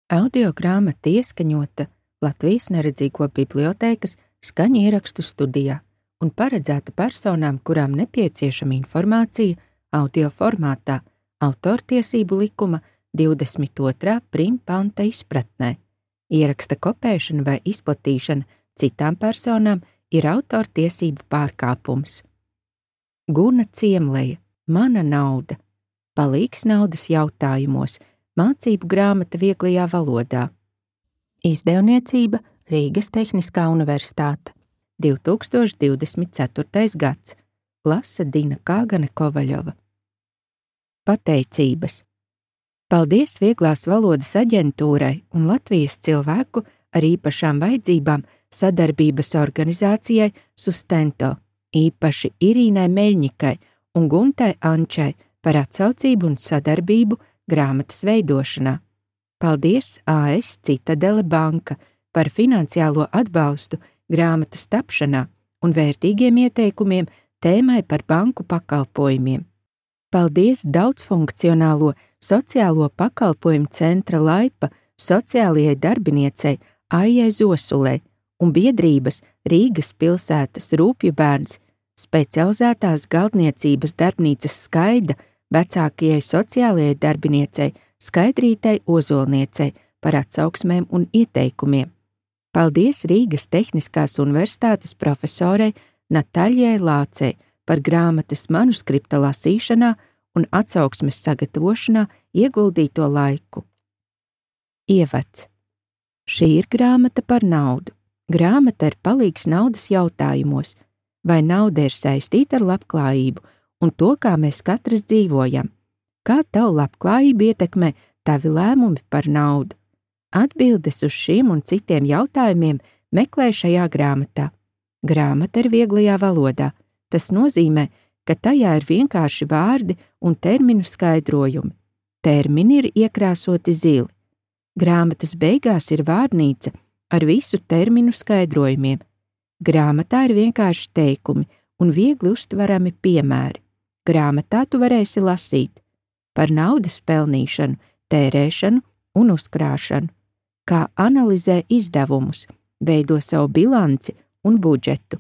Audiogrāmata ieskaņota Latvijas Neredzīgo bibliotēkas skaņu ierakstu studijā un paredzēta personām, kurām nepieciešama informācija audio formātā autortiesību likuma 22. panta izpratnē. Ieraksta kopēšana vai izplatīšana citām personām ir autortiesību pārkāpums. Guna Ciemleja, Mana nauda, palīgs naudas jautājumos, mācību grāmata vieglajā valodā. Izdevniecība Rīgas Tehniskā universitāte, 2024. gads, lasa Dina Kāgane Kovaļova. Pateicības. Paldies Vieglās valodas aģentūrai un Latvijas cilvēku ar īpašām vajadzībām sadarbības organizācijai Sustento, īpaši Irīnai Meļņikai un Guntai Ančai par atsaucību un sadarbību grāmatas veidošanā. Paldies AS Citadele banka par finansiālo atbalstu grāmatas tapšanā un vērtīgiem ieteikumiem tēmai par banku pakalpojumiem. Paldies daudzfunkcionālo sociālo pakalpojumu centra Laipa sociālajai darbiniecei Aijai Zosulei un biedrības Rīgas pilsētas Rūpju bērns specializētās galdniecības darbnīcas Skaida vecākajai sociālajai darbiniecei Skaidrītei Ozolniecei par atsauksmēm un ieteikumiem. Paldies Rīgas Tehniskās universitātes profesorei Nataļai Lācei par grāmatas manuskripta lasīšanā un atsauksmes sagatavošanā ieguldīto laiku. Ievads. Šī ir grāmata par naudu. Grāmata ir palīgs naudas jautājumos, vai nauda ir saistīta ar labklājību un to, kā mēs katrs dzīvojam. Kā tavu labklājību ietekmē tavi lēmumi par naudu? Atbildes uz šiem un citiem jautājumiem meklē šajā grāmatā. Grāmata ir vieglajā valodā. Tas nozīmē, ka tajā ir vienkārši vārdi un terminu skaidrojumi. Termini ir iekrāsoti zili. Grāmatas beigās ir vārnīca ar visu terminu skaidrojumiem. Grāmatā ir vienkārši teikumi un viegli uztverami piemēri. Grāmatā tu varēsi lasīt par naudas pelnīšanu, tērēšanu un uzkrāšanu, kā analizē izdevumus, veido savu bilanci un budžetu,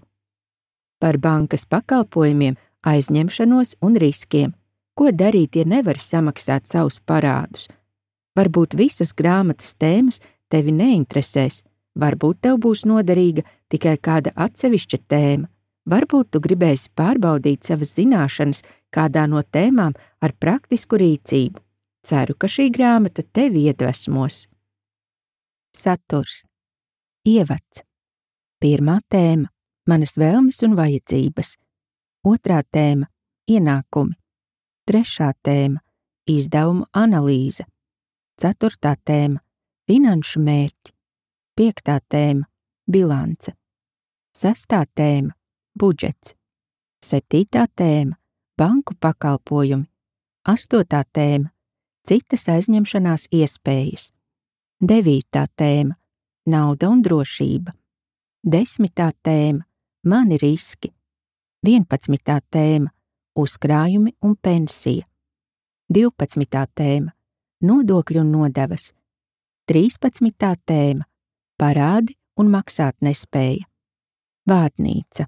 par bankas pakalpojumiem, aizņemšanos un riskiem, ko darīt, ja nevari samaksāt savus parādus. Varbūt visas grāmatas tēmas tevi neinteresēs, varbūt tev būs noderīga tikai kāda atsevišķa tēma, varbūt tu gribēsi pārbaudīt savas zināšanas kādā no tēmām ar praktisku rīcību. Ceru, ka šī grāmata tevi iedvesmos. Saturs. Ievads. Pirmā tēma – manas vēlmes un vajadzības. Otrā tēma – ienākumi. Trešā tēma – izdevumu analīze. Ceturtā tēma – finanšu mērķi. Piektā tēma – bilance. Sestā tēma – budžets. Septītā tēma – banku pakalpojumi. Astotā tēma – citas aizņemšanās iespējas. Devītā tēma – nauda un drošība. Desmitā tēma – mani riski. 11. tēma – uzkrājumi un pensija. 12. tēma – nodokļu un nodevas. 13. tēma – parādi un maksāt nespēja. Vārnīca.